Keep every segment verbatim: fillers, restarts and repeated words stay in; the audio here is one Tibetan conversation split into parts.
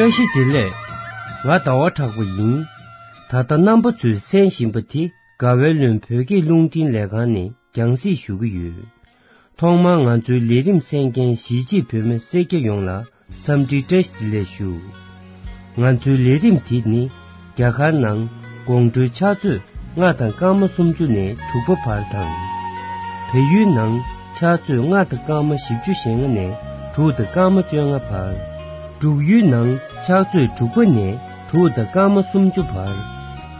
བཀྲ་ཤིས་བདེ་ལེགས། ང་ཟླ་བ་གྲགས་པ་ཡིན། ད་ལྟ་རྣམ་པ་ཚོས་གསན་བཞིན་པ་དེ་དགའ་བའི་ལུང་བོད་སྐད་རླུང་འཕྲིན་ལས་ཁང་ནས་རྒྱང་སྲིང་ཞུ་གི་ཡོད། ཐོག་མར་ང་ཚོའི་ལས་རིམ་གསན་མཁན་གཞིས་བྱེས་བོད་མི་སེར་སྐྱ་ཡོངས་ལ་འཚམས་འདྲི་བཀྲ་ཤིས་བདེ་ལེགས་ཞུ། ང་ཚོའི་ལས་རིམ་དེ་ནི་རྒྱ་གར་ནང་དགོང་དྲོའི་ཕྱག་ཚོད་ལྔ་དང་སྐར་མ་སུམ་ཅུ་ནས་དྲུག་པ་བར་དང་། བལ་ཡུལ་ནང་ཕྱག་ཚོད་ལྔ་དང་སྐར་མ་བཞི་བཅུ་ཞེ་ལྔ་ནས་དྲུག་དང་སྐར་མ་བཅོ་ལྔ་བར། འབྲུག་ཡུལ་ནང་ཕྱག་ཚོད་དྲུག་པ་ནས་དྲུག་དང་སྐར་མ་སུམ་ཅུ་བར།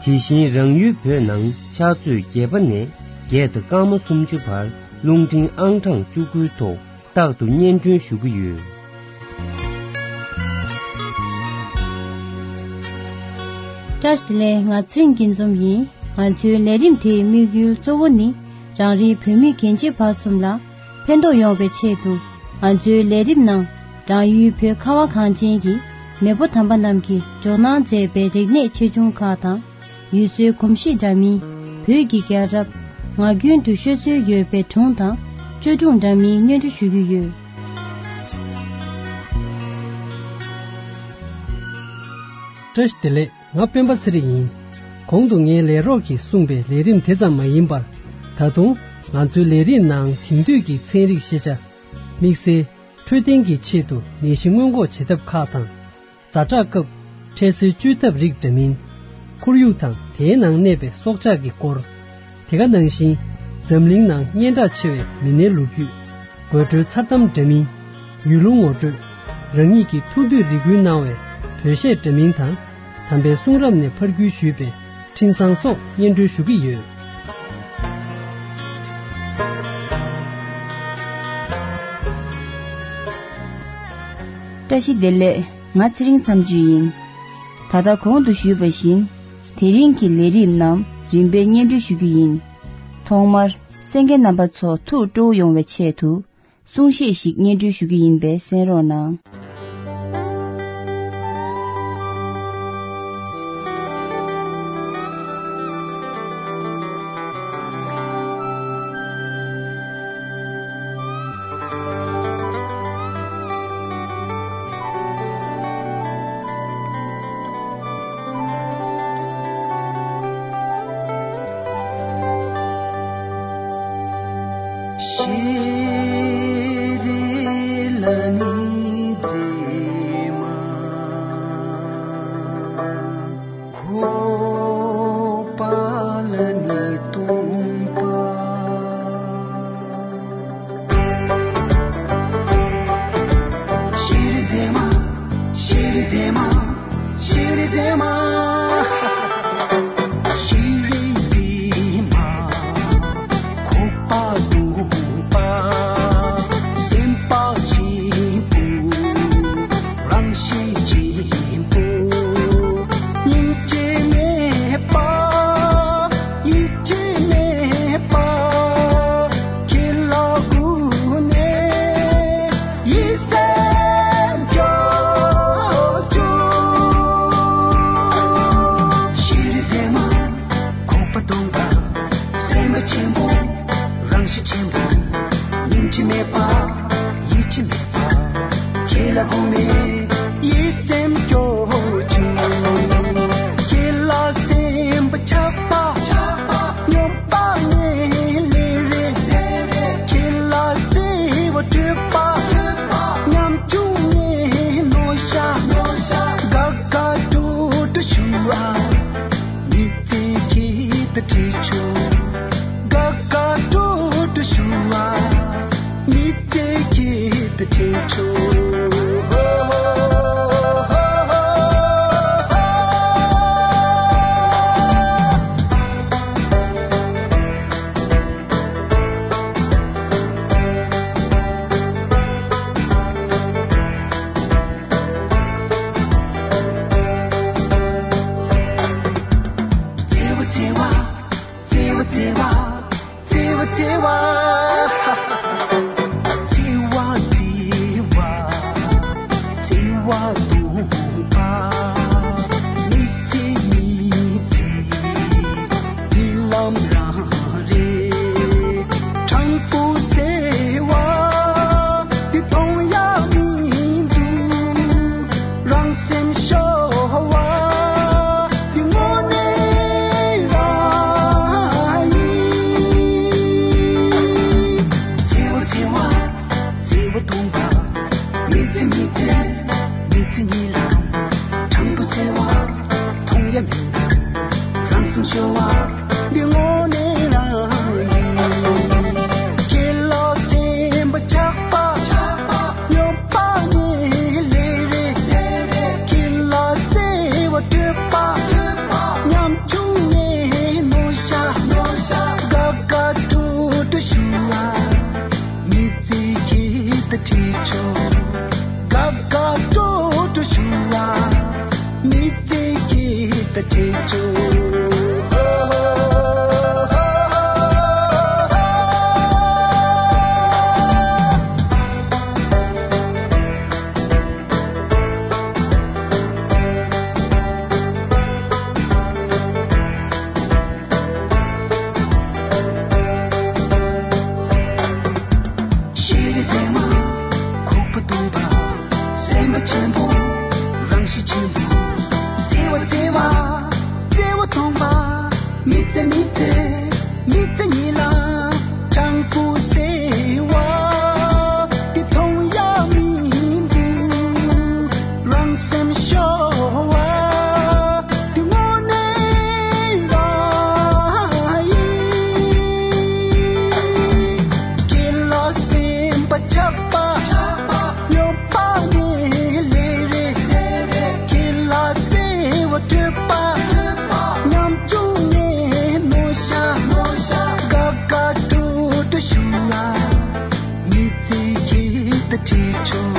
དེ་བཞིན་རང་ཡུལ་བོད་ནང་ཕྱག་ཚོད་བརྒྱད་པ་ནས་བརྒྱད་དང་སྐར་མ་སུམ་ཅུ་བར་རླུང་འཕྲིན་ཨང་གྲངས་བཅུ་དགུའི་ཐོག་རྟག་ཏུ་སྙན་སྒྲོན་ཞུ་གི་ཡོད། བཀྲ་ཤིས་བདེ་ལེགས། ང་ཚེ་རིང་སྐྱིད་འཛོམས་ཡིན། ང་ཚོའི་ལས་རིམ་དེའི་དམིགས་ཡུལ་གཙོ་བོ་ནི་རང་རེའི་བོད་མི་རྒན་བྱིས་བར་གསུམ་ལ་ཕན་ཐོགས་ཡོང་བའི་ཆེད་དུ། ང་ཚོའི་ལས་རིམ་ནང་རང་ཡུལ་བོད་ཁ་བ་གངས་ཅན་གྱི་མེས་པོ་དམ་པ་རྣམས་ཀྱིས་འཇོག་གནང་མཛད་པའི་རིག་གནས་ཆེ་ཆུང་ཁག་དང་། ཡུལ་སྲོལ་གོམས་གཤིས་འདྲ་མིན། བོད་ཀྱི་རྒྱལ་རབས། ངག་རྒྱུན་དུ་ཤོད་སྲོལ་ཡོད་པའི་སྒྲུང་དང་བཅོས་སྒྲུང་འདྲ་མིན་སྙན་སྒྲོན་ཞུ་རྒྱུ་ཡོད། བཀྲ་ཤིས་བདེ་ལེགས། ང་སྤེན་པ་ཚེ་རིང་ཡིན། གོང་དུ་ངའི་ལས་རོགས་ཀྱིས་གསུངས་པའི་ལས་རིམ་དེ་ཙམ་མ་ཡིན་པར། ད་དུང་ང་ཚོའི་ལས་རིམ་ནང་དེང་དུས་ཀྱི་ཚན་རིག་ཤེས་བྱ། དམིགས་བསལ་འཕྲོད་བསྟེན་གྱི་ཆེད་དུ་ནད་གཞི་སྔོན་འགོག་བྱེད་ཐབས་ཁག་དང་། ཛ་དྲག་སྐབས་འཕྲལ་སེལ་བཅོས་ཐབས་རིགས་འདྲ་མིན། ཁོར་ཡུག་དང་དེའི་ནང་གནས་པའི་སྲོག་ཆགས་ཀྱི་སྐོར། དེ་ག་ནང་བཞིན་འཛམ་གླིང་ནང་སྙན་གྲགས་ཆེ་བའི་མི་སྣའི་ལོ་རྒྱུས། དགོད་བྲོའི་མཚར་གཏམ་འདྲ་མིན། ཡུལ་ལུང་ངོ་སྤྲོད། རང་ཉིད་ཀྱི་ཐུགས་འདོད་རེ་སྐུལ་གནང་བའི་བོད་གཞས་འདྲ་མིན་དང་། དམ་པའི་གསུང་རབ་ནས་ཕར་བརྒྱུད་ཞུས་པའི་འཕྲིན་བཟང་སོགས་སྙན་སྒྲོན་ཞུ་གི་ཡོད། བཀྲ་ཤིས་བདེ་ལེགས། ང་ཚེ་རིང་མཚམས་གཅོད་ཡིན། ད་ལྟ་གོང་དུ་ཞུས་པ་བཞིན། དེ་རིང་གི་ལས་རིམ་རྣམས་རིམ་པས་སྙན་སྒྲོན་ཞུ་རྒྱུ་ཡིན། ཐོག་མར་གསན་མཁན་རྣམ་པ་ཚོ་ཐུགས་སྤྲོ་བོ་ཡོང་བའི་ཆེད་དུ། གསུང་བཤད་ཞིག་སྙན་སྒྲོན་ཞུ་རྒྱུ་ཡིན་པས་གསན་རོགས་གནང་། ཤེས་རིག་ལྡན་མ། ཁུག་པ་སྟོང་པ། སེམས་པ་ཆེན་པོ། རང་གཤིས་ཆེན་པོ། བརྩེ་བ་བརྩེ་བ། བརྩེ་བ་སྟོང་པ། མི་ཚེ་མི་ཚེ། མི་ཚེ་ཉིད་ལ། སྤྲང་པོ་ཟེར་བ། དེ་མཐོང་ཡ་མི་འདུག་རང་སེམས་ཤོར་བ། དེ་དངོས་གནས་རང་ཡིན། ཁྱེད་ལ་སེམས་པ་ཆགས་པ། ཡོད་པ་ནས་ལས་རེད། ཁྱེད་ལ་བརྩེ་བ་སྤྲོད་པ། ཉམ་ཆུང་ནས་མོ་ཤ། དགའ་དགའ་སྤྲོ་སྤྲོ་ཞུ་ལ། མི་ཚེ་ཁྱེད་དང་འཕྲད་ཆོག་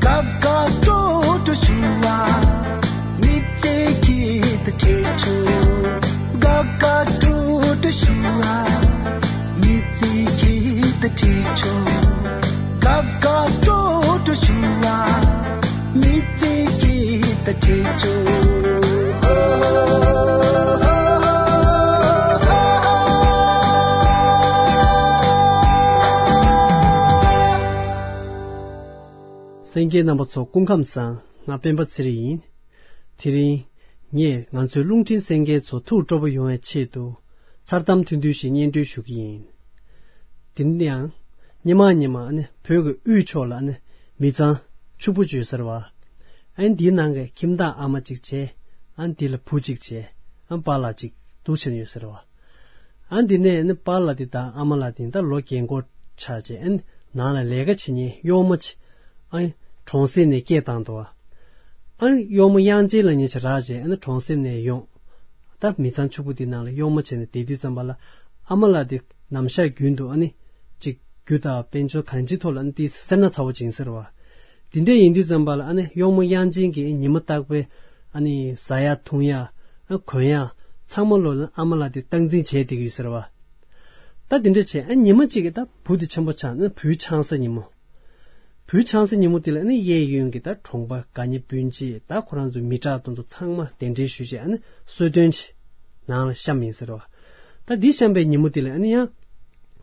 དགའ་དགའ་སྤྲོ་སྤྲོ་ཞུ་ལ། མི་ཚེ་ཁྱེད་དང་འཕྲད་ཆོག་དགའ་དགའ་སྤྲོ་སྤྲོ་ཞུ་ལ། མི་ཚེ་ཁྱེད་དང་འཕྲད་ཆོག་དགའ་དགའ་སྤྲོ་སྤྲོ་ཞུ་ལ། མི་ཚེ་ཁྱེད་དང་འཕྲད་ཆོག་གསན་མཁན་རྣམ་པ་ཚོ་སྐུ་ཁམས་བཟང་། ང་སྤེན་པ་ཚེ་རིང་ཡིན། དེ་རིང་ངས་ང་ཚོའི་རླུང་འཕྲིན་གསན་མཁན་ཚོ་ཐུགས་སྤྲོ་པོ་ཡོང་བའི་ཆེད་དུ་མཚར་གཏམ་ཐུང་ཐུང་ཞིག་སྙན་སྒྲོན་ཞུ་གི་ཡིན། དེ་ནི་ཡང་སྔོན་མ་སྔོན་མ་ཨ་ནི་བོད་ཀྱི་དབུས་ཕྱོགས་ལ་ཨ་ནི་མི་ཚང་ཕྱུག་པོ་ཅིག་ཡོད་ཟེར་བ། ཨ་ནི་འདིའི་ནང་གི་ཁྱིམ་བདག་ཨ་མ་ཅིག་བྱས། ཨ་ནི་འདི་ལ་བུ་ཅིག་བྱས། ཨ་ནི་པཱ་ལགས་ཅིག་འདུག་བྱས་ནས་ཡོད་ཟེར་བ། ཨ་ནི་འདི་ནས་ཨ་ནི་པཱ་ལགས་འདི་དང་ཨ་མ་ལགས་འདི་ད་ལོ་རྒན་འཁོགས་ཆགས་བྱས། ཨ་ནི་ནང་ལ་ལས་ཀ་བྱེད་མཁན་གཡོག་མོ་ཅིག་ཨ་ནི་གྲོང་གསེབ་ནས་སྐད་བཏང་འདུག་ཨ་ནི་གཡོག་མོ་དབྱངས་ཅན་ལབ་མཁན་ཅིག་རག་བྱས། ཨ་ནི་གྲོང་གསེབ་ནས་ཡོང་། ད་མི་ཚང་ཕྱུག་པོ་འདི་ནང་ལ་གཡོག་མོ་བྱས་ནས་བསྡད་དུས་ཙམ་པ་ལ། ཨ་མ་ལགས་འདི་ནམ་ཞག་རྒྱུན་དུ་ཨ་ནི་ཅིག་རྒྱུ་དང་དཔལ་འབྱོར་གང་ཅིའི་ཐོག་ལ་ཨ་ནི་ཏོག་ཙམ་སེར་སྣ་ཚ་བོ་ཅིག་ཡིན་ཟེར་བ། དེ་འདྲ་ཡིན་དུས་ཙམ་པ་ལ་ཨ་ནི་གཡོག་མོ་དབྱངས་ཅན་གྱིས་ཉི་མ་རྟག་པའི་ཨ་ནི་ཟ་ཡ་འཐུང་ཡ། ཨ་གོན་ཡ། ཚང་མ་ལོ་ལ་ཨ་མ་ལགས་དེ་སྟངས་འཛིན་བྱས་བསྡད་ཀྱི་ཡོད་ཟེར་བ། ད་དེ་འདྲ་བྱས། ཨ་ཉི་མ་གཅིག་གི་ད་བུ་དེ་ཆེན་པོ་ཆགས་ན། བུའི་ཆང་ས་ཉིན་མོ། བུའི་ཆང་ས་ཉིན་མོ་དེ་ལ་ཨ་ནི་གཡས་གཡོན་གྱི་ད་གྲོང་པ་དགའ་ཉེ་སྤུན་མཆེད། ད་ཁོ་རང་ཚོའི་མི་དྲག་དེ་ཚོ་ཚང་མ་གདན་འདྲེན་ཞུས་བྱས། ཨ་ནི་གསོལ་སྟོན་བྱས་ནང་ལ་བཤམས་ཡིན་ཟེར་བ། ད་འདི་བཤམས་པའི་ཉིན་མོ་དེ་ལ་ཨ་ནི་ཡང་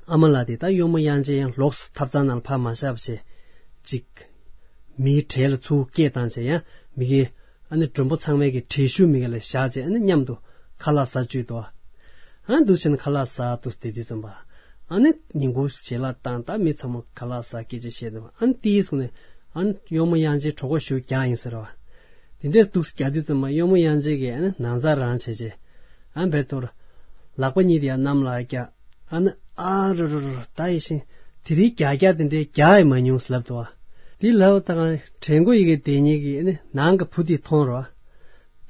ཨ་མ་ལགས་དེ་ད་གཡོག་མོ་དབྱངས་ཅན་ཡང་ལོགས་སུ་ཐབ་ཚང་ནང་ལ་ཕར་མ་བཞག་པ་བྱས། ཅིག་མིའི་གྲལ་ལ་ཚུར་སྐད་བཏང་བྱས། ཡང་མི་གི་ཨ་ནི་མགྲོན་པོ་ཚང་མའི་གི་གྲལ་གཞུག་མི་ག་ལ་བཞག་བྱས། ཨ་ནི་མཉམ་དུ་ཁ་ལག་ཟ་བཅུག་འདུག་ཨ་འདུག་བྱས་ནས་ཁ་ལག་ཟ་འདུག་བསྡད་དུས་ཙམ་པ། ཨ་ནི་ཉིན་གུང་ཞལ་ལག་བཏང་། ད་མི་ཚང་མ་ཁ་ལག་ཟ་སྐད་ཆ་བཤད་འདུག་ཨ་ནི་དེའི་སོང་ནས་ཨ་ནི་གཡོག་མོ་དབྱངས་ཅན་གྲོད་ཁོག་ཞེ་པོ་རྒྱགས་ཡིན་ཟེར་བ། དེ་འདྲས་འདུག་རྒྱགས་དུས་ཙམ་པ་གཡོག་མོ་དབྱངས་ཅན་གྱིས་ཨ་ནི་ནང་རྩ་རང་བྱས་བྱས། ཨ་ནི་བེད་ཐོར་ལག་པ་གཉིས་དེ་ཡར་གནམ་ལ་བཀྱགས། ཨ་ནི་ཨ་རོ་རོ་རོ། ད་ཡིན་ཞིང་དེ་རིང་རྒྱགས་རྒྱགས་དེ་འདྲའི་རྒྱགས་ཡི་མ་མྱོང་ཟེར་ལབ་འདུག་བ། དེ་ལབ་དང་དྲན་གོ་ཡི་གེ་དེ་ཉིད་ཀྱིས་ཨ་ནི་ནང་གི་བུ་དེ་མཐོང་རོ།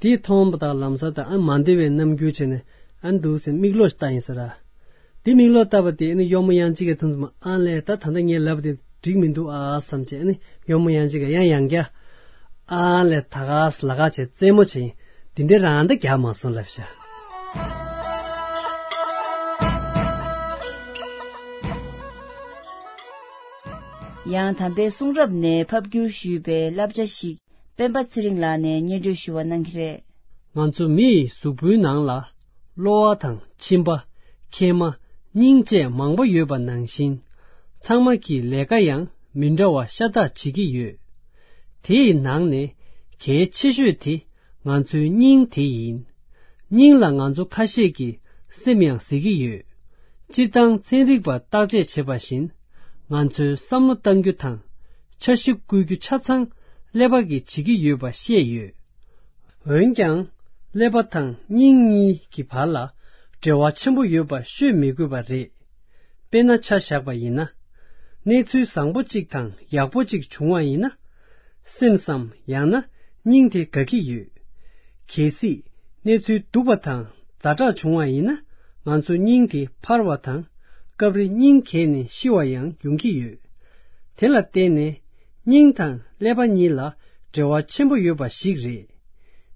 དེ་མཐོང་པ་དང་ལམ་སང་ད་ཨ་མ་འདོད་པའི་རྣམ་འགྱུར་བྱས་ནས་ཨ་འདུག་ཟེར་མིག་ལོག་ལྟ་ཡིན་ཟེར་ར། དེ་མིག་ལོག་ལྟ་བ་དེ་ཨ་ནི་གཡོག་མོ་དབྱངས་ཅན་གྱིས་མཐོང་ཙམ། ཨ་ལས། ད་ད་ལྟ་ངས་ལབ་པ་དེ་འགྲིག་མི་འདུག་ཨ་བསམ་བྱས། ཨ་ནི་གཡོག་མོ་དབྱངས་ཅན་གྱིས་ཡང་ཡང་རྒྱགས། ཨ་ལས། ད་ག་ལ་ག་བྱས་རྩེད་མོ་བྱས་ཡིན། དེ་འདྲའི་རང་ད་རྒྱགས་མ་སོང་ལབ་ཤག་ཡང་དམ་པའི་གསུང་རབ་ནས་ཕབ་བསྒྱུར་ཞུས་པའི་བསླབ་བྱ་ཞིག་སྤེན་པ་ཚེ་རིང་ལགས་ནས་སྙན་སྒྲོན་ཞུ་བ་གནང་གི་རེད། ང་ཚོ་མི་ཡི་གཟུགས་པོའི་ནང་ལ་གློ་བ་དང་མཆིན་པ། མཁལ་མ། སྙིང་བཅས་མང་པོ་ཡོད་པ་ནང་བཞིན། ཚང་མ་གིས་ལས་ཀ་ཡང་མི་འདྲ་བ་ཤ་སྟག་བྱེད་ཀྱི་ཡོད། དེའི་ནང་ནས་གལ་ཆེ་ཤོས་དེ་ང་ཚོའི་སྙིང་དེ་ཡིན། སྙིང་ལ་ང་ཚོ་ཁ་ཤས་ཀྱིས་སེམས་ཡང་ཟེར་གྱི་ཡོད། སྤྱིར་བཏང་ཚན་རིག་པ་བརྟག་དཔྱད་བྱེད་པ་བཞིན། ང་ཚོའི་བསམ་བློ་གཏང་རྒྱུ་དང་འཆར་གཞི་བཀོད་རྒྱུ་ཆ་ཚང་ཀླད་པ་གིས་བྱེད་ཀྱི་ཡོད་པ་བཤད་ཡོད། འོན་ཀྱང་ཀླད་པ་དང་སྙིང་གཉིས་ཀྱི་བར་ལ་འབྲེལ་བ་ཆེན་པོ་ཡོད་པ་ཤོད་མི་དགོས་པ་རེད། དཔེར་ན་ཆ་བཞག་པ་ཡིན་ན། གནས་ཚུལ་བཟང་པོ་གཅིག་དང་ཡག་པོ་གཅིག་བྱུང་བ་ཡིན་ན། སེམས་སམ་ཡང་ན་སྙིང་དེ་དགའ་གི་ཡོད། གལ་སྲིད་གནས་ཚུལ་སྡུག་པ་དང་ཛ་དྲག་བྱུང་བ་ཡིན་ན། ང་ཚོ་སྙིང་དེ་འཕར་བ་དང་སྐབས་རེ་སྙིང་གས་ནས་ཤི་བ་ཡང་ཡོང་གི་ཡོད། དེ་ལ་བརྟེན་ནས་སྙིང་དང་ཀླད་པ་གཉིས་ལ་འབྲེལ་བ་ཆེན་པོ་ཡོད་པ་ཞིག་རེད།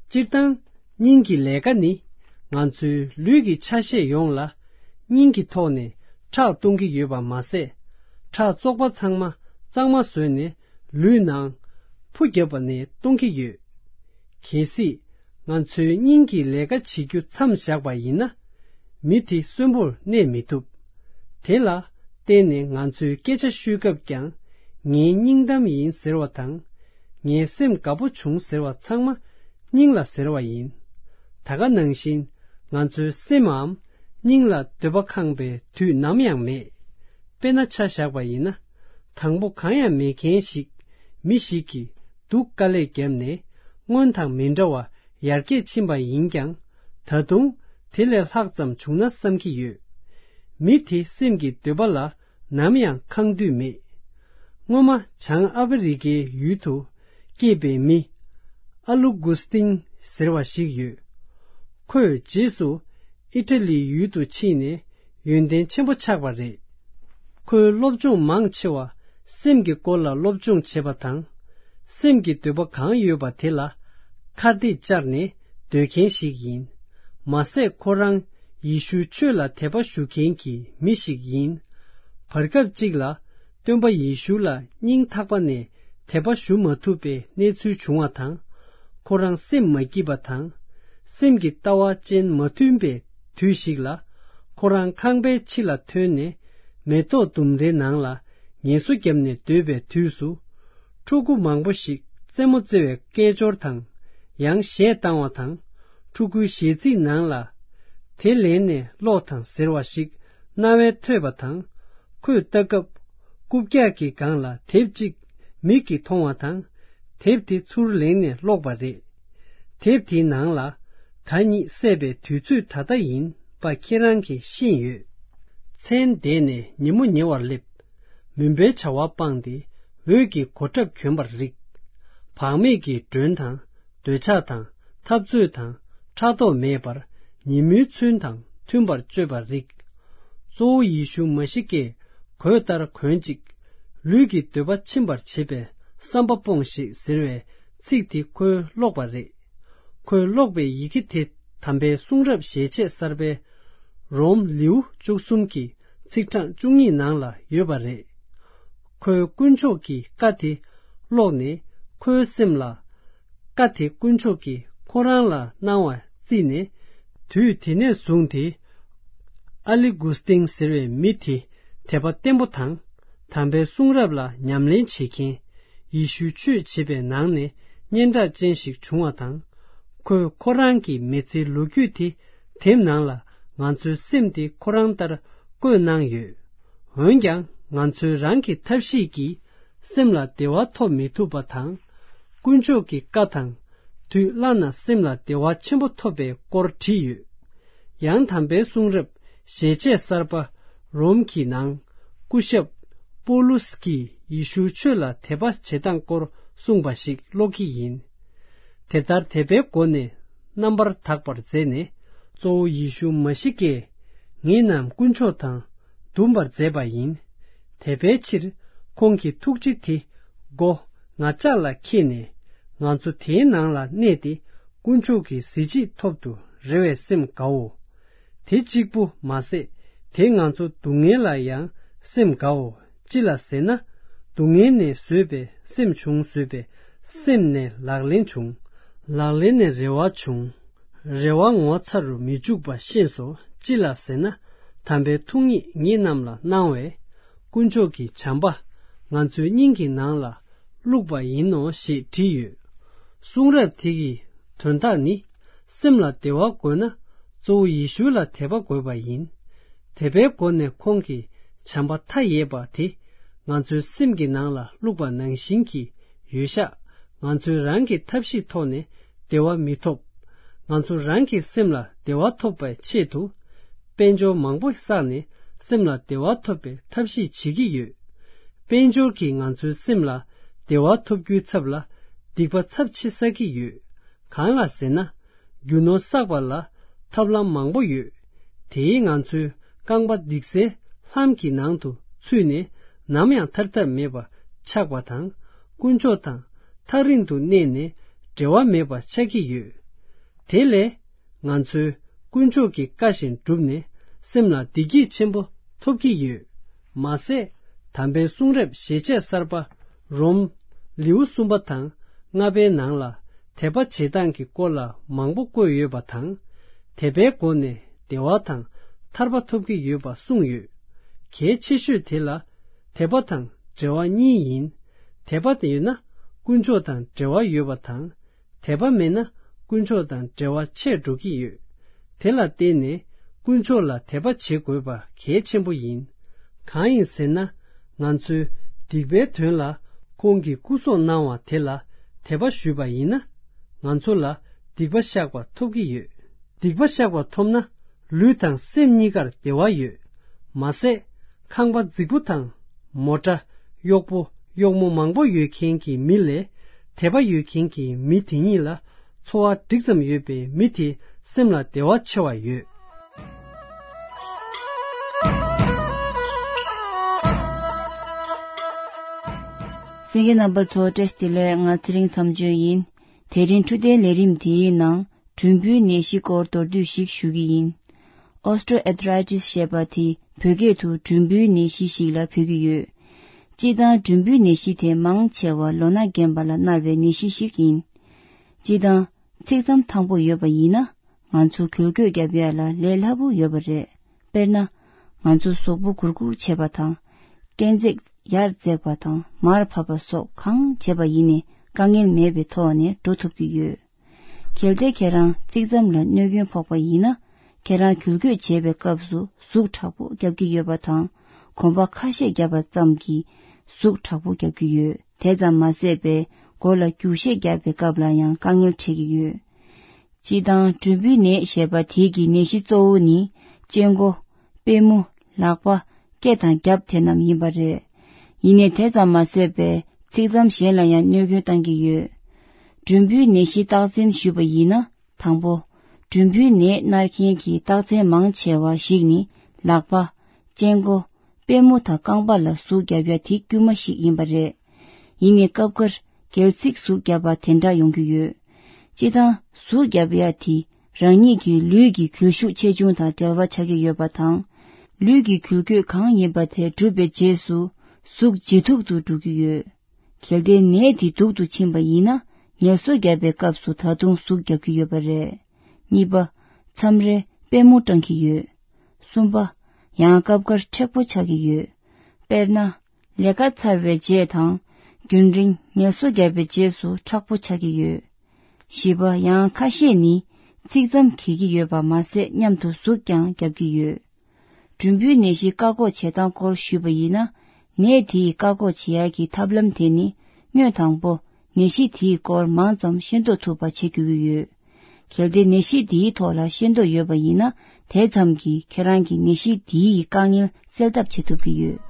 སྤྱིར་བཏང་ སྙིང་གི་ལས་ཀ་ནི་ང་ཚོའི་ལུས་ཀྱི་ཆ་ཤས་ཡོངས་ལ་སྙིང་གི་ཐོག་ནས་ཁྲག་གཏོང་གི་ཡོད་པ་མ་ཟད། ཁྲག་བཙོག་པ་ཚང་མ་གཙང་མ་བཟོས་ནས་ལུས་ནང་ཕུ་བརྒྱབ་པ་ནས་གཏོང་གི་ཡོད། གལ་སྲིད་ང་ཚོའི་སྙིང་གི་ལས་ཀ་བྱེད་རྒྱུ་མཚམས་བཞག་པ་ཡིན་ན། མི་དེ་གསོན་པོར་གནས་མི་ཐུབ། དེ་ལ་བརྟེན་ནས་ང་ཚོའི་སྐད་ཆ་ཤོད་སྐབས་ཀྱང་། ངའི་སྙིང་གཏམ་ཡིན་ཟེར་བ་དང་། ངའི་སེམས་དགའ་པོ་བྱུང་ཟེར་བ་ཚང་མ་སྙིང་ལ་ཟེར་བ་ཡིན། ད་ག་ནང་བཞིན་ང་ཚོའི་སེམས་འམ་སྙིང་ལ་འདོད་པ་ཁེངས་པའི་དུས་ནམ་ཡང་མེད། དཔེར་ན་ཆ་བཞག་པ་ཡིན་ན། དང་པོ་གང་ཡང་མེད་མཁན་ཞིག་མི་ཞིག་གིས་སྡུག་དཀའ་ལས་བརྒྱབ་ནས་སྔོན་དང་མི་འདྲ་བ་ཡར་རྒྱས་ཕྱིན་པ་ཡིན་ཀྱང་། ད་དུང་དེ་ལས་ལྷག་ཙམ་བྱུང་ན་བསམ་གྱི་ཡོད། མི་དེ་སེམས་ཀྱི་འདོད་པ་ལ་ནམ་ཡང་ཁེངས་དུས་མེད། སྔོན་མ་བྱང་ཨ་ཕི་རི་ཀའི་ཡུལ་དུ་སྐྱེས་པའི་མི་ཨ་ལུ་གུ་སྟིན་ཟེར་བ་ཞིག་ཡོད། ཁོས་རྗེས་སུ་ཨི་ཊ་ལིའི་ཡུལ་དུ་ཕྱིན་ནས་ཡོན་ཏན་ཆེན་པོ་ཆགས་པ་རེད། ཁོའི་སློབ་སྦྱོང་མང་ཆེ་བ་སེམས་ཀྱི་སྐོར་ལ་སློབ་སྦྱོང་བྱེད་པ་དང་། སེམས་ཀྱི་འདོད་པ་གང་ཡོད་པ་དེ་ལ་ཁ་གཏད་བཅར་ནས་སྡོད་མཁན་ཞིག་ཡིན། མ་ཟད་ཁོ་རང་ཡེ་ཤུའི་ཆོས་ལ་དད་པ་ཞུ་མཁན་གྱི་མི་ཞིག་ཡིན། བར་སྐབས་གཅིག་ལ་སྟོན་པ་ཡེ་ཤུ་ལ་སྙིང་ཐག་པ་ནས་དད་པ་ཞུ་མ་ཐུབ་པའི་གནས་ཚུལ་བྱུང་བ་དང་། ཁོ་རང་སེམས་མ་སྐྱིད་པ་དང་། སེམས་ཀྱི་ལྟ་བ་ཅན་མ་མཐུན་པའི་དུས་ཤིག་ལ། ཁོ་རང་ཁང་པའི་ཕྱི་ལ་ཐོན་ནས་མེ་ཏོག་ལྡུམ་རའི་ནང་ལ་ངལ་གསོ་བརྒྱབ་ནས་སྡོད་པའི་དུས་སུ། ཕྲུ་གུ་མང་པོ་ཞིག་རྩེད་མོ་རྩེ་བའི་སྐད་ཅོར་དང་། ཡང་གཞས་བཏང་བ་དང་། ཕྲུ་གུའི་གཞས་ཚིག་ནང་ལ། དེ་ལེན་ནས་ཀློག་དང་ཟེར་བ་ཞིག་རྣ་བས་ཐོས་པ་དང་། ཁོས་ལྟ་སྐབས། རྐུབ་བཀྱག་གི་སྒང་ལ་དེབ་ཅིག་མིག་གིས་མཐོང་བ་དང་། དེབ་དེ་ཚུར་ལེན་ནས་ཀློག་པ་རེད། དེབ་དེའི་ནང་ལ། ད་ཉིད་བསད་པའི་དུས་ཚོད་ད་ལྟ་ཡིན་པ་ཁྱེད་རང་གིས་ཤེས་ཡོད། མཚན་འདས་ནས་ཉིན་མོ་ཉེ་བར་སླེབས། མུན་པའི་བྱ་བ་སྤངས་ཏེ་འོད་ཀྱི་གོ་ཁྲབ་གྱོན་པར་རིགས། བག་མེད་ཀྱི་མགྲོན་དང་། འདོད་ཆགས་དང་། འཐབ་རྩོད་དང་། ཕྲག་དོག་མེད་པར། ཉིན་མོའི་ཚུལ་དང་མཐུན་པར་སྤྱོད་པར་རིགས། གཙོ་བོ་ཡེ་ཤུ་མ་ཤི་ཀས་གོས་ལྟར་གོན་ཅིག་ལུས་ཀྱི་འདོད་པ་ཆེན་པར་བྱེད་པའི་བསམ་པ་སྤོངས་ཤིག་ཟེར་བའི་ཚིག་དེ་ཁོས་ཀློག་པ་རེད། ཁོས་ཀློག་པའི་ཡི་གེ་དེ་དམ་པའི་གསུང་རབ་ཞལ་ཆད་གསར་པའི་རོམ་ལེའུ་བཅུ་གསུམ་གྱི་ཚིག་གྲངས་བཅུ་གཉིས་ནང་ལ་ཡོད་པ་རེད། ཁོས་དཀོན་མཆོག་གི་བཀའ་དེ་ཀློག་ནས་ཁོའི་སེམས་ལ། བཀའ་དེ་དཀོན་མཆོག་གིས་ཁོ་རང་ལ་གནང་བ་བརྩིས་ནས། དུས་དེ་ནས་བཟུང་སྟེ། ཨ་ལི་གུ་སི་ཏིང་ཟེར་བའི་མི་དེ་དད་པ་བརྟན་པོ་དང་། དམ་པའི་གསུང་རབ་ལ་ཉམས་ལེན་བྱེད་མཁན། ཡེ་ཤུའི་ཆོས་བྱེད་པའི་ནང་ནས་སྙན་གྲགས་ཅན་ཞིག་བྱུང་བ་དང་། ཁོས་ཁོ་རང་གི་མི་ཚེའི་ལོ་རྒྱུས་དེ་དེབ་ནང་ལ་ང་ཚོའི་སེམས་དེ་ཁོ་རང་ལྟར་བཀོད་གནང་ཡོད། འོན་ཀྱང་ང་ཚོས་རང་གི་ཐབས་ཤེས་ཀྱིས་སེམས་ལ་བདེ་བ་ཐོབ་མི་ཐུབ་པ་དང་། དཀོན་མཆོག་གི་བཀའ་དང་དུས་བླ་ན་སེམས་ལ་བདེ་བ་ཆེན་པོ་ཐོབ་པའི་སྐོར་བྲིས་ཡོད། ཡང་དམ་པའི་གསུང་རབ་ཞལ་ཆད་གསར་པ་རོམ་གྱི་ནང་སྐུ་ཞབས་པོ་ལུ་སི་ཀིས་ཡེ་ཤུའི་ཆོས་ལ་དད་པ་བྱེད་སྟངས་སྐོར་གསུངས་པ་ཞིག་ཀློག་གི་ཡིན། དེ་ལྟར་དད་པའི་སྒོ་ནས་རྣམ་པར་དག་པར་མཛད་ནས། གཙོ་བོ་ཡེ་ཤུ་མ་ཤི་ཀས་ངེད་རྣམས་དཀོན་མཆོག་དང་འདུམ་པར་མཛད་པ་ཡིན། དད་པའི་ཕྱིར་ཁོང་གི་ཐུགས་རྗེ་དེ་མགོ་ང་ཅག་ལ་ཁྱེད་ནས། ང་ཚོ་དེའི་ནང་ལ་གནས་ཏེ་དཀོན་མཆོག་གི་གཟི་བརྗིད་ཐོབ་ཏུ་རེ་བའི་སེམས་དགའོ། དེ་གཅིག་པུ་མ་ཟད། དེ་ང་ཚོ་སྡུག་བསྔལ་ལ་ཡང་སེམས་དགའོ། ཅི་ལ་ཟེར་ན། སྡུག་བསྔལ་ནས་བཟོད་པའི་སེམས་བྱུང་། བཟོད་པའི་སེམས་ནས་ལག་ལེན་བྱུང་། ལག་ལེན་ནས་རེ་བ་བྱུང་། རེ་བ་ངོ་ཚ་རུ་མི་འཇུག་པ་ཤེས་སོ། ཅི་ལ་ཟེར་ན། དམ་པའི་ཐུགས་ཉིད་ངེད་རྣམས་ལ་གནང་བས། དཀོན་མཆོག་གི་བྱམས་པ་ང་ཚོའི་སྙིང་གི་ནང་ལ་བླུགས་པ་ཡིན་ནོ་ཞེས་བྲིས་ཡོད། གསུང་རབ་དེ་གི་དོན་དག་ནི། སེམས་ལ་བདེ་བ་དགོས་ན་གཙོ་བོ་ཡེ་ཤུ་ལ་དད་པ་དགོས་པ་ཡིན། དད་པའི་སྒོ་ནས་ཁོང་གི་བྱམས་པ་མཐའ་ཡས་པ་དེ་ང་ཚོའི་སེམས་ཀྱི་ནང་ལ་བླུགས་པ་ནང་བཞིན་གྱི་ཡོད་ཤག་ང་ཚོས་རང་གི་ཐབས་ཤེས་ཐོག་ནས་བདེ་བ་མི་ཐོབ། ང་ཚོ་རང་གི་སེམས་ལ་བདེ་བ་ཐོབ་པའི་ཆེད་དུ། དཔལ་འབྱོར་མང་པོ་བསགས་ནས་སེམས་ལ་བདེ་བ་ཐོབ་པའི་ཐབས་ཤེས་བྱེད་ཀྱི་ཡོད། དཔལ་འབྱོར་གྱིས་ང་ཚོའི་སེམས་ལ་བདེ་བ་ཐོབ་རྒྱུའི་ཚབ་ལ་སྡིག་པ་ཚབས་ཆེ་བསགས་ཀྱི་ཡོད། གང་ལ་ཟེར་ན། རྒྱུ་ནོར་བསགས་པ་ལ་ཐབས་ལམ་མང་པོ་ཡོད། དེས་ང་ཚོའི་རྐང་པ་སྡིག་སའི་ལྷམ་གྱི་ནང་དུ་ཚུད་ནས་ནམ་ཡང་ཐར་ཐབས་མེད་པ་ཆགས་པ་དང་། དཀོན་མཆོག་དང་ཐག་རིང་དུ་གནས་ནས་འབྲེལ་བ་མེད་པ་ཆགས་ཀྱི་ཡོད། དེ་ལས་ང་ཚོས་དཀོན་མཆོག་གི་བཀའ་བཞིན་བསྒྲུབས་ནས་སེམས་ལ་བདེ་སྐྱིད་ཆེན་པོ་ཐོབ་ཀྱི་ཡོད། མ་ཟད། དམ་པའི་གསུང་རབ་ཞལ་ཆད་གསར་པ་རོམ་ལེའུ་གསུམ་པ་དང་ལྔ་པའི་ནང་ལ་དད་པ་བྱེད་སྟངས་ཀྱི་སྐོར་ལ་མང་པོ་བཀོད་ཡོད་པ་དང་། དད་པའི་སྒོ་ནས་བདེ་བ་དང་ཐར་པ་ཐོབ་ཀྱི་ཡོད་པ་གསུངས་ཡོད། གལ་ཆེ་ཤོས་དེ་ལ་དད་པ་དང་འབྲེལ་བ་གཉིས་ཡིན། དད་པ་དེ་ཡོད་ན་དཀོན་མཆོག་དང་འབྲེལ་བ་ཡོད་པ་དང་། དད་པ་མེད་ན་དཀོན་མཆོག་དང་འབྲེལ་བ་ཆད་འགྲོ་གི་ཡོད། དེ་ལ་བརྟེན་ནས་དཀོན་མཆོག་ལ་དད་པ་བྱེད་དགོས་པ་གལ་ཆེན་པོ་ཡིན། གང་ཡིན་ཟེར་ན། ང་ཚོའི་སྡིག་པའི་དོན་ལ་ཁོང་གིས་སྐུ་སྲོག་གནང་བ་དེ་ལ་དད་པ་ཞུས་པ་ཡིན་ན། ང་ཚོ་ལ་སྡིག་པ་བཤགས་པ་ཐོབ་ཀྱི་ཡོད། སྡིག་པ་བཤགས་པ་ཐོབ་ན་ལུས་དང་སེམས་གཉིས་ཀར་བདེ་བ་ཡོད། མ་ཟད། ཁང་པ་རྫིག་པོ་དང་མོ་ཊ། གཡོག་པོ་གཡོག་མོ་མང་པོ་ཡོད་མཁན་གྱི་མི་ལས་དད་པ་ཡོད་མཁན་གྱི་མི་དེ་ཉིད་ལ་འཚོ་བ་འགྲིག་ཙམ་ཡོད་པའི་མི་དེ་སེམས་ལ་བདེ་བ་ཆེ་བ་ཡོད། གསན་མཁན་རྣམ་པ་ཚོ་བཀྲ་ཤིས་བདེ་ལེགས། ང་ཚེ་རིང་མཚམས་གཅོད་ཡིན། དེ་རིང་འཕྲོད་བསྟེན་ལས་རིམ་དེའི་ནང་གྲུམ་བུའི་ནད་གཞི་སྐོར་མདོར་བསྡུས་ཤིག་ཞུ་གི་ཡིན། Osteoarthritis་ཞེས་པ་དེ་བོད་སྐད་དུ་གྲུམ་བུའི་ནད་གཞི་ཞིག་ལ་འབོད་ཀྱི་ཡོད། སྤྱིར་བཏང་གྲུམ་བུའི་ནད་གཞི་དེ་མང་ཆེ་བ་ལོ་ན་རྒན་པ་ལ་མནར་བའི་ནད་གཞི་ཞིག་ཡིན། སྤྱིར་བཏང་ཚིགས་མཚམས་ཐང་པོ་ཡོད་པ་ཡིན་ན། ང་ཚོ་འགུལ་སྐྱོད་བརྒྱབ་ཡ་ལ་ལས་སླ་པོ་ཡོད་པ་རེད། དཔེར་ན། ང་ཚོ་གཟུགས་པོ་སྒུར་སྒུར་བྱེད་པ་དང་། སྐས་འཛེག་ཡར་འཛེག་པ་དང་མར་བབས་པ་སོགས་གང་བྱེད་པ་ཡིན་ནའི་དཀའ་ངལ་མེད་པའི་ཐོག་ནས་འགྲོ་ཐུབ་ཀྱི་ཡོད། གལ་ཏེ་ཁྱེད་རང་ཚིགས་མཚམས་ལ་གནོད་སྐྱོན་ཕོག་པ་ཡིན་ན། ཁྱེད་རང་འགུལ་སྐྱོད་བྱེད་པའི་སྐབས་སུ་ཟུག་དྲག་པོ་རྒྱབ་ཀྱི་ཡོད་པ་དང་། གོམ་པ་ཁ་ཤས་བརྒྱབ་པ་ཙམ་གྱིས་ཟུག་དྲག་པོ་རྒྱབ་ཀྱི་ཡོད། དེ་ཙམ་མ་ཟད་པའི་མགོ་ལ་རྒྱུག་ཤད་བརྒྱབ་པའི་སྐབས་ལ་ཡང་དཀའ་ངལ་འཕྲད་ཀྱི་ཡོད། སྤྱིར་བཏང་གྲུམ་བུའི་ནད་ཞེས་པ་དེ་གི་ནད་གཞི་གཙོ་བོ་ནི་སྤྱང་ཀོ། པུས་མོ། ལག་པ། སྐེ་དང་རྒྱབ་དེ་རྣམས་ཡིན་པ་རེད། ཡིན་ནའི་དེ་ཙམ་མ་ཟད་པའི་ཚིགས་མཚམས་གཞན་ལ་ཡང་གནོད་སྐྱོན་བཏང་གི་ཡོད། གྲུམ་བུའི་ནད་གཞི་རྟགས་མཚན་ཞུས་པ་ཡིན་ན། དང་པོ། གྲུམ་བུའི་ནད་མནར་མཁན་གྱི་རྟགས་མཚན་མང་ཆེ་བ་ཞིག་ནི་ལག་པ། སྤྱང་ཀོ། པུས་མོ་དང་རྐང་པ་ལ་ཟུག་བརྒྱབ་ཡ་དེ་དཀྱུས་མ་ཞིག་ཡིན་པ་རེད། ཡིན་ནའི་སྐབས་འགར་སྒལ་ཚིགས་ཟུག་བརྒྱབ་པ་དེ་འདྲ་ཡོང་གི་ཡོད། སྤྱིར་བཏང་ཟུག་བརྒྱབ་ཡ་དེ་རང་ཉིད་ཀྱི་ལུས་ཀྱི་འགུལ་ཤུགས་ཆེ་ཆུང་དང་འབྲེལ་བ་ཆགས་ཀྱི་ཡོད་པ་དང་། ལུས་ཀྱི་འགུལ་སྐྱོད་གང་ཡིན་པ་དེ་གྲུབ་པའི་རྗེས་སུ་ཟུག་ཇེ་སྡུག་ཏུ་འགྲོ་གི་ཡོད། གལ་ཏེ་ནད་དེ་སྡུག་ཏུ་ཕྱིན་པ་ཡིན་ན། ངལ་གསོ་བརྒྱབ་པའི་སྐབས་སུ་ད་དུང་ཟུག་བརྒྱབ་ཀྱི་ཡོད་པ་རེད། གཉིས་པ། མཚམས་རེ་པུས་མོ་སྐྲངས་ཀྱི་ཡོད། གསུམ་པ། ཡང་སྐབས་འགར་མཁྲེགས་པོ་ཆགས་ཀྱི་ཡོད། དཔེར་ན། ལས་ཀ་ཚར་བའི་རྗེས་དང་། རྒྱུན་རིང་ངལ་གསོ་བརྒྱབ་པའི་རྗེས་སུ་མཁྲེགས་པོ་ཆགས་ཀྱི་ཡོད། བཞི་པ། ཡང་ཁ་ཤས་ནི་ཚིགས་མཚམས་འགེལ་གྱི་ཡོད་པ་མ་ཟད་མཉམ་དུ་ཟུག་ཀྱང་བརྒྱབ་ཀྱི་ཡོད། གྲུམ་བུའི་ནད་གཞིའི་བཀག་འགོག་བྱེད་སྟངས་སྐོར་ཞུས་པ་ཡིན་ན། ནད་དེ་ཡི་བཀག་འགོག་བྱེད་ཡག་གི་ཐབས་ལམ་དེ་ནི། སྔོན་དང་པོ། ནད་གཞི་དེའི་སྐོར་མང་ཙམ་ཤེས་རྟོགས་ཐུབ་པ་བྱེད་དགོས་ཀྱི་ཡོད། གལ་ཏེ་ནད་གཞི་དེའི་ཐོག་ལ་ཤེས་རྟོགས་ཡོད་པ་ཡིན་ན། དེ་ཙམ་གྱིས་ཁྱེད་རང་གི་ནད་གཞི་དེའི་དཀའ་ངལ་སེལ་ཐབས་བྱེད་ཐུབ་ཀྱི་ཡོད།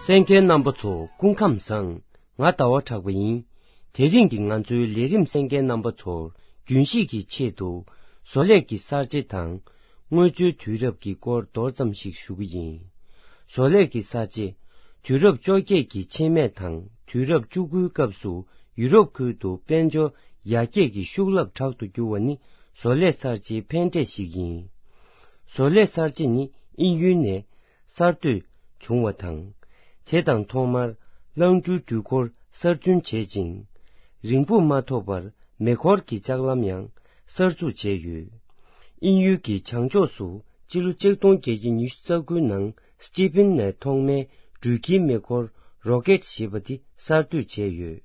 གསན་མཁན་རྣམ་པ་ཚོ་སྐུ་ཁམས་བཟང་། ང་ཟླ་བ་གྲགས་པ་ཡིན། དེ་རིང་གི་ང་ཚོའི་ལས་རིམ་གསན་མཁན་རྣམ་པ་ཚོར་རྒྱུན་ཤེས་ཀྱི་ཆེད་དུ་བཟོ་ལས་ཀྱི་གསར་བརྗེ་དང་། དངོས་འབྱོར་དུས་རབས་ཀྱི་སྐོར་མདོར་ཙམ་ཞིག་ཞུ་གི་ཡིན། བཟོ་ལས་ཀྱི་གསར་བརྗེ། དུས་རབས་བཅོ་བརྒྱད་ཀྱི་ཕྱེད་མས་དང་དུས་རབས་བཅུ་དགུའི་སྐབས་སུ་ཡུ་རོབ་ཁུལ་དུ་དཔལ་འབྱོར་ཡར་རྒྱས་ཀྱི་ཤུགས་རླབས་དྲག་ཏུ་གྱུར་བ་ནི་བཟོ་ལས་གསར་བརྗེའི་ཕན་འབྲས་ཤིག་ཡིན། བཟོ་ལས་གསར་བརྗེ་ནི་དབྱིན་ཡུལ་ནས་གསར་གཏོད་བྱུང་བ་དང་། དེ་དང་ཐོག་མར་རླངས་འཕྲུལ་དུས་འཁོར་གསར་སྐྲུན་བྱེད་ཅིང་། རིང་པོ་མ་ཐོགས་པར་མེ་འཁོར་གྱི་ལྕགས་ལམ་ཡང་གསར་འཛུགས་བྱས་ཡོད། དབྱིན་ཡུལ་གྱི་བྱང་ཕྱོགས་སུ་སྤྱི་ལོ་ཆིག་སྟོང་བརྒྱད་བརྒྱ་ཉི་ཤུ་རྩ་དགུའི་ནང་སི་ཊི་ཕིན་ནས་ཐོག་མའི་འགྲུལ་སྐྱེལ་མེ་འཁོར་རོ་ཀེད་ཞེས་པ་དེ་གསར་གཏོད་བྱས་ཡོད།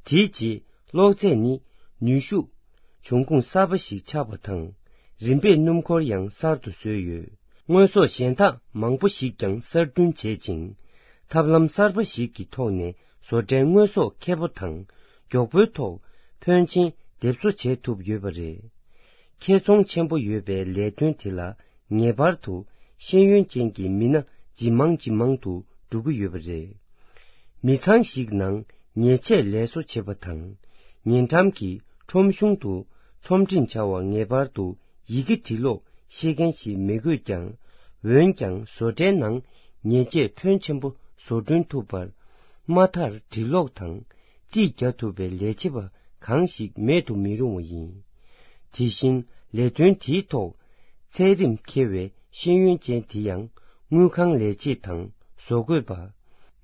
དེའི་རྗེས་གློག་རྫས་ནི་ནུས་ཤུགས་འབྱུང་ཁུངས་གསར་པ་ཞིག་ཆགས་པ་དང་། རིམ་པས་སྣུམ་འཁོར་ཡང་གསར་དུ་བཟོས་ཡོད། དངོས་ཟོག་གཞན་དག་མང་པོ་ཞིག་ཀྱང་གསར་སྐྲུན་བྱེད་ཅིང་། ཐབས་ལམ་གསར་པ་ཞིག་གི་ཐོག་ནས་བཟོ་གྲྭའི་དངོས་ཟོག་ཁེ་པོ་དང་མགྱོགས་པོའི་ཐོག་ཕོན་ཆེན་འདེབས་གསོ་བྱེད་ཐུབ་ཡོད་པ་རེད། ཁེ་ཚོང་ཆེན་པོ་ཡོད་པའི་ལས་དོན་དེ་ལ་ངེས་པར་དུ་ཤེས་ཡོན་ཅན་གྱི་མི་སྣ་ཇི་མང་ཇི་མང་དུ་འགྲོ་གི་ཡོད་པ་རེད། མི་ཚང་ཞིག་ནང་ཉེས་ཆད་ལས་བཟོ་བྱེད་པ་དང་། ཉེ་འགྲམ་གྱི་ཁྲོམ་གཞུང་དུ་ཚོང་འབྲེལ་བྱ་བ་ངེས་པར་དུ་ཡི་གེ་འབྲི་ཀློག་ཤེས་མཁན་ཞིག་མི་དགོས་ཀྱང་། འོན་ཀྱང་བཟོ་གྲྭའི་ནང་ཉེས་ཆད་ཕོན་ཆེན་པོ་ བཟོ་སྐྲུན་ཐུབ་པར་མ་མཐར་འབྲི་ཀློག་དང་རྩིས་རྒྱག་ཐུབ་པའི་ལས་བྱེད་པ་གང་ཞིག་མེད་དུ་མི་རུང་བ་ཡིན། དེ་བཞིན་ལས་དོན་དེའི་ཐོག་ཚད་རིམ་འཁེལ་བའི་ཤེས་ཡོན་ཅན་དེ་ཡང་དངུལ་ཁང་ལས་བྱེད་དང་བཟོ་བཀོད་པ།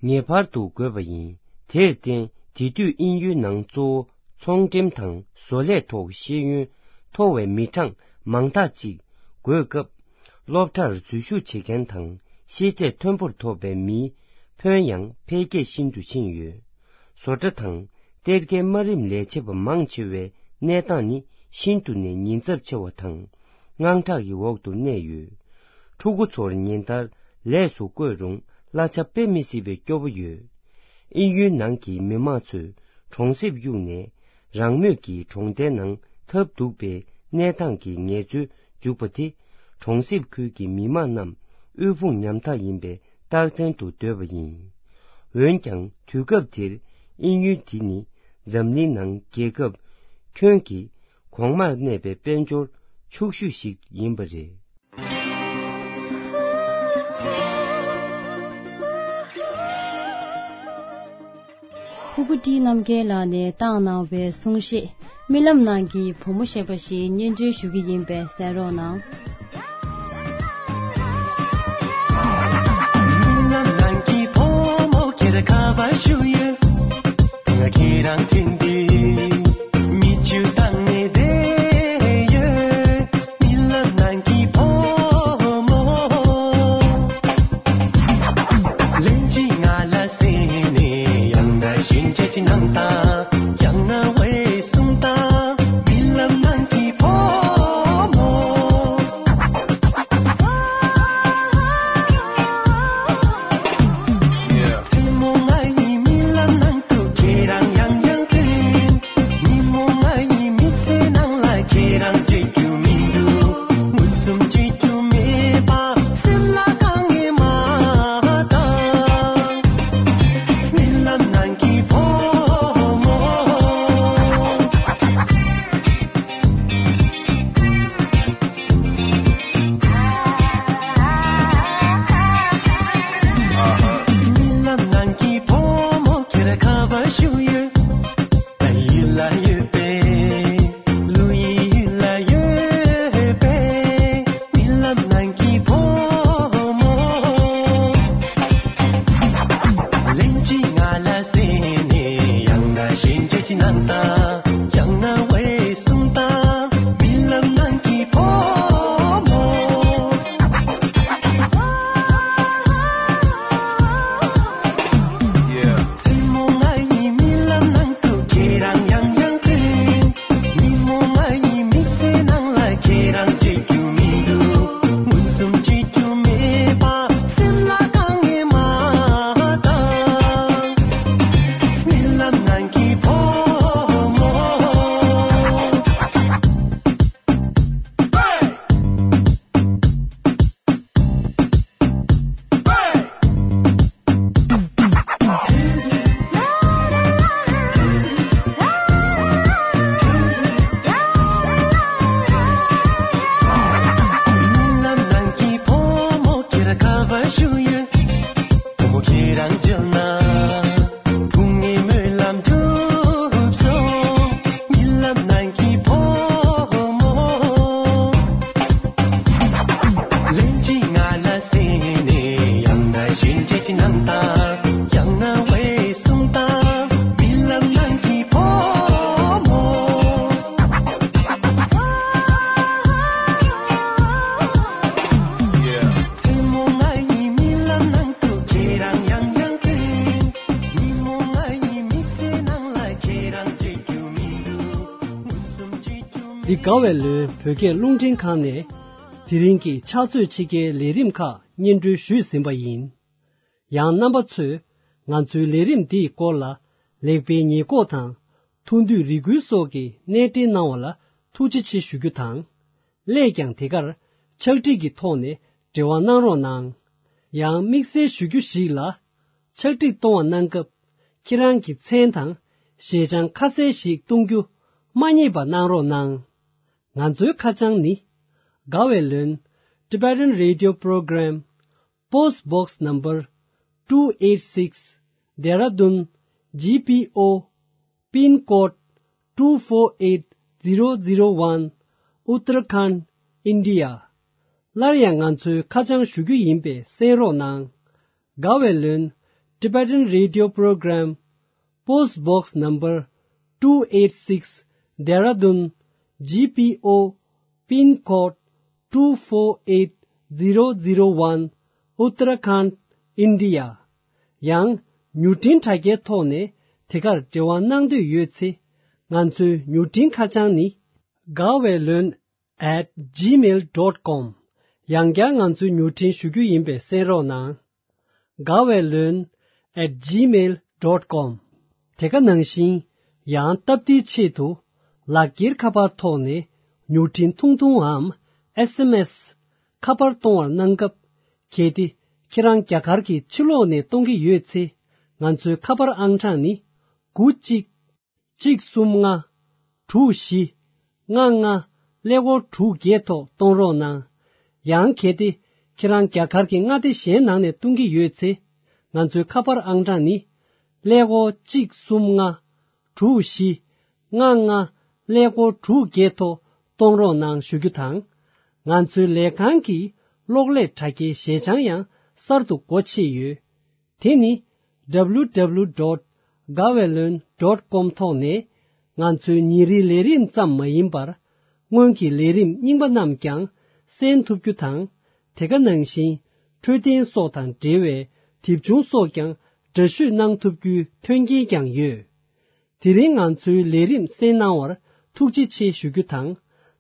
ངེས་པར་དུ་དགོས་པ་ཡིན། དེར་བརྟེན་དེ་དུས་དབྱིན་ཡུལ་ནང་གཙོ་བོ་ཚོང་འགྲེམས་དང་བཟོ་ལས་ཐོག་ཤེས་ཡོན་མཐོ་བའི་མི་གྲངས་མང་དག་ཅིག་དགོས་སྐབས། སློབ་གྲྭར་འཛུལ་ཞུགས་བྱེད་མཁན་དང་ཤེས་ཚད་མཐོན་པོར་ཐོབ་པའི་མིའི་ཕོན་ཡང་འཕེལ་རྒྱས་ཤིན་ཏུ་ཕྱིན་ཡོད། བཟོ་གྲྭ་དང་གཏེར་ཁའི་དམའ་རིམ་ལས་བྱེད་པ་མང་ཆེ་བའི་གནས་སྟངས་ནི་ཤིན་ཏུ་ནས་ཉེན་ཚབས་ཆེ་བ་དང་། དངངས་སྐྲག་གི་འོག་ཏུ་གནས་ཡོད། ཕྲུ་གུ་ཚོར་ཉིན་ལྟར་ལས་སུ་བསྐོས་རུང་གླ་ཆ་དཔེ་མི་སྲིད་པའི་སྐྱོ་པོ་ཡོད། དབྱིན་ཡུལ་ནང་གི་མི་མང་ཚོས་གྲོང་གསེབ་གཡུགས་ནས། རང་མོས་ཀྱིས་གྲོང་རྡལ་ནང་ཐབས་སྡུག་པའི་གནས་སྟངས་ཀྱི་ངལ་རྩོལ་འཇུག་པ་དེ། གྲོང་གསེབ་ཁུལ་གྱི་མི་མང་རྣམས་དབུལ་ཕོངས་ཉམ་ཐག་ཡིན་པའི་རྟགས་མཚན་དུ་འདོད་པ་ཡིན། འོན་ཀྱང་དུས་སྐབས་དེར་དབྱིན་ཡུལ་དེ་ནི་འཛམ་གླིང་ནང་རྒྱལ་ཁབ་ཁྱོན་གྱི་གོང་མར་གནས་པའི་དཔལ་འབྱོར་ཕྱུག་ཤོས་ཤིག་ཡིན་པ་རེད། ཕུར་བུ་བཀྲིས་རྣམ་རྒྱལ་ལགས་ནས་བཏང་གནང་བའི་གསུང་བཤད། རྨི་ལམ་ནང་གི་བུ་མོ་ཞེས་པ་ཞིག་སྙན་སྒྲོན་ཞུ་གི་ཡིན་པས་གསན་རོགས་གནང་། རྨི་ལམ་ནང་གི་བུ་མོ་ཁྱེད་ཁ་པར་ཞུ་ཡོད། ང་ཁྱེད་རང་དྲན་ཏེ་མིག་ཆུ་བཏང་ནས་བསྡད་ཡོད། རྨི་ལམ་ནང་གི་བུ་མོ། ལན་གཅིག་ང་ལ་གསན་ནས་ཡང་ན་ཞེན་ཆགས་ཀྱི་སྣང་དག་ཡང་ན་འོད་སྲུང་དང་རྨི་ལམ་ནང་གི་བུ་མོ། མཚན་མོ་ང་ཡི་རྨི་ལམ་ནང་དུ་ཁྱེད་རང་ཡང་ཡང་ཐོན། ཉིན་མོ་ང་ཡི་མི་ཚེ་ནང་ལ་ཁྱེད་རང་བརྗེད་རྒྱུ་མི་འདུག་མངོན་སུམ་བརྗེད་རྒྱུ་མེད་པ་སེམས་ལ་དཀའ་ངལ་མ་དང་། རྨི་ལམ་ནང་གི་བུ་མོ། རྨི་ལམ་ནང་གི་བུ་མོ་ཁྱེད་ཁ་པར་ཞུ་ཡོད། ད་ཡིད་ལ་ཡོད་པས། ལོ་ཡི་ཡུལ་ལ་ཡོད་པས། རྨི་ལམ་ནང་གི་བུ་མོ། ལན་གཅིག་ང་ལ་གསན་ནས་ཡང་ན་ཞེན་ཆགས་ཀྱི་སྣང་དག་ཡང་ན་འོད་སྲུང་དང་རྨི་ལམ་ནང་གི་བུ་མོ། མཚན་མོ་ང་ཡི་རྨི་ལམ་ནང་དུ་ཁྱེད་རང་ཡང་ཡང་ཐོན། ཉིན་མོ་ང་ཡི་མི་ཚེ་ནང་ལ་ཁྱེད་རང་བརྗེད་རྒྱུ་མི་འདུག་མངོན་སུམ་བརྗེད་རྒྱུ་མེད་པ་སེམས་ལ་དཀའ་ངལ་མ་དང་། རྨི་ལམ་ནང་གི་བུ་མོ། རྨི་ལམ་ནང་གི་བུ་མོ་ཁྱེད་ཁ་པར་ཞུ་ཡོད། བུ་མོ་ཁྱེད་རང་མཇལ་ན། ཕུང་ངེ་སྨོན་ལམ་འགྲུབ་སོང་། རྨི་ལམ་ནང་གི་བུ་མོ། ལན་གཅིག་ང་ལ་གསན་ནས་ཡང་ན་ཞེན་ཆགས་ཀྱི་སྣང་དག་ཡང་ན་འོད་སྲུང་དང་རྨི་ལམ་ནང་གི་བུ་མོ། མཚན་མོ་ང་ཡི་རྨི་ལམ་ནང་དུ་ཁྱེད་རང་ཡང་ཡང་ཐོན། ཉིན་མོ་ང་ཡི་མི་ཚེ་ནང་ལ་ཁྱེད་རང་བརྗེད་རྒྱུ་མི་འདུག་མངོན་སུམ་བརྗེད་རྒྱུ་མེད། འདི་དགའ་བའི་ལོན་བོད་སྐད་རླུང་འཕྲིན་ཁང་ནས་དེ་རིང་གི་ཕྱག་ཚོད་ཕྱེད་ཀའི་ལས་རིམ་ཁག་སྙན་སྒྲོན་ཞུས་ཟིན་པ་ཡིན། ཡང་རྣམ་པ་ཚོས་ང་ཚོའི་ལས་རིམ་འདིའི་སྐོར་ལ་ལེགས་སྤེལ་ཉེས་འགོག་དང་ཐུགས་འདོད་རེ་སྐུལ་སོགས་ཀྱི་གནས་འབྲེལ་གནང་བ་ལ་ཐུགས་རྗེ་ཆེ་ཞུ་རྒྱུ་དང་། སླད་ཀྱང་དེ་གར་ཕྱག་བྲིས་ཀྱི་ཐོག་ནས་འབྲེལ་བ་གནང་རོགས་གནང་། ཡང་དམིགས་བསལ་ཞུ་རྒྱུ་ཞིག་ལ། ཕྱག་བྲིས་གཏོང་བ་གནང་སྐབས་ཁྱེད་རང་གི་མཚན་དང་ཞལ་བྱང་ཁ་གསལ་ཞིག་གཏོང་རྒྱུ་མ་བསྙེལ་བ་གནང་རོགས་གནང་། ང་ཚོའི་ཁ་བྱང་ནི། དགའ་བའི་ལོན། Tibetan Radio Program། Post Box Number two eight six, Dehradun G P O, pin code two four eight zero zero one, Uttarakhand, India. སླར་ཡང་ང་ཚོའི་ཁ་བྱང་ཞུ་རྒྱུ་ཡིན་པས་གསན་རོགས་གནང་། དགའ་བའི་ལོན། Tibetan Radio Program, Post Box Number two eight six, Dehradun G P O, pin code two four eight zero zero one, Uttarakhand, India. ཡང་མྱུར་འཕྲིན་དྲ་རྒྱའི་ཐོག་ནས་དེ་གར་འབྲེལ་བ་གནང་འདོད་ཡོད་ཚེ། ང་ཚོའི་མྱུར་འཕྲིན་ཁ་བྱང་ནི། དགའ་བའི་ལོན། at gmail dot com། ཡང་བསྐྱར་ང་ཚོའི་མྱུར་འཕྲིན་ཞུ་རྒྱུ་ཡིན་པས་གསན་རོགས་གནང་། དགའ་བའི་ལོན། at gmail dot com། དེ་ག་ནང་བཞིན། ཡང་སྟབས་བདེའི་ཆེད་དུ། ལག་འཁྱེར་ཁ་པར་ཐོག་ནས་མྱུར་འཕྲིན་ཐུང་ཐུང་འམ། S M S། ཁ་པར་གཏོང་བར་གནང་སྐབས། གལ་ཏེ་ཁྱེད་རང་རྒྱ་གར་གྱི་ཕྱི་ལོགས་ནས་གཏོང་གི་ཡོད་ཚེ། ང་ཚོའི་ཁ་པར་ཨང་གྲངས་ནི། དགུ་གཅིག་གཅིག་གསུམ་ལྔ། དྲུག་བཞི། ལྔ་ལྔ། ཀླད་ཀོར་དྲུག་བརྒྱད་ཐོག་གཏོང་རོགས་གནང་། ཡང་གལ་ཏེ་ཁྱེད་རང་རྒྱ་གར་གྱི་མངའ་སྡེ་གཞན་ནང་ནས་གཏོང་གི་ཡོད་ཚེ། ང་ཚོའི་ཁ་པར་ཨང་གྲངས་ནི། ཀླད་ཀོར་གཅིག་གསུམ་ལྔ། དྲུག་བཞི། ལྔ་ལྔ། ཀླད་ཀོར་དྲུག་བརྒྱད་ཐོག་གཏོང་རོགས་གནང་ཞུ་རྒྱུ་དང་། ང་ཚོའི་ལས་ཁང་གི་གློག་ཀླད་དྲ་རྒྱའི་ཞལ་བྱང་ཡང་གསར་དུ་སྒོ་ཕྱེ་ཡོད། དེ་ནི། W W W dot gaweylon dot com ཐོག་ནས། ང་ཚོའི་ཉིན་རེའི་ལས་རིམ་ཙམ་མ་ཡིན་པར། སྔོན་གྱི་ལས་རིམ་རྙིང་པ་རྣམས་ཀྱང་གསན་ཐུབ་རྒྱུ་དང་། དེ་ག་ནང་བཞིན། འཕྲོད་བསྟེན་སོགས་དང་འབྲེལ་བའི་དེབ་ཆུང་སོགས་ཀྱང་འདྲ་བཤུས་གནང་ཐུབ་རྒྱུའི་མཐུན་རྐྱེན་ཀྱང་ཡོད། དེ་རིང་ང་ཚོའི་ལས་རིམ་གསན་གནང་བར་ཐུགས་རྗེ་ཆེ་ཞུ་རྒྱུ་དང་།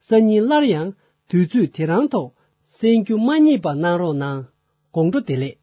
སང་ཉིན་སླར་ཡང་དུས་ཚོད་དེ་རང་ཐོག་གསན་རྒྱུ་མ་བསྙེལ་བ་གནང་རོགས་གནང་། དགོང་དྲོ་བདེ་ལེགས།